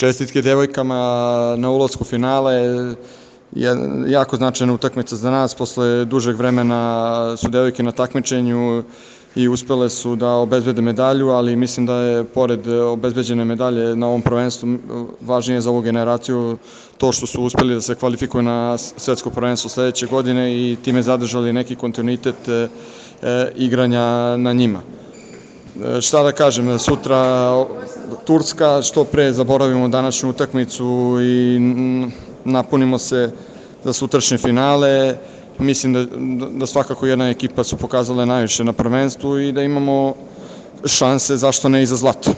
Čestitke devojkama na ulasku u finale, jako značajna utakmica za nas, posle dužeg vremena su devojke na takmičenju i uspele su da obezbede medalju, ali mislim da je pored obezbeđene medalje na ovom prvenstvu važnije za ovu generaciju to što su uspeli da se kvalifikuju na svetsko prvenstvo sledeće godine i time zadržali neki kontinuitet igranja na njima. Šta da kažem, sutra Turska, što pre zaboravimo današnju utakmicu i napunimo se za sutrašnje finale. Mislim da svakako jedna ekipa su pokazale najviše na prvenstvu i da imamo šanse, zašto ne, i za zlato.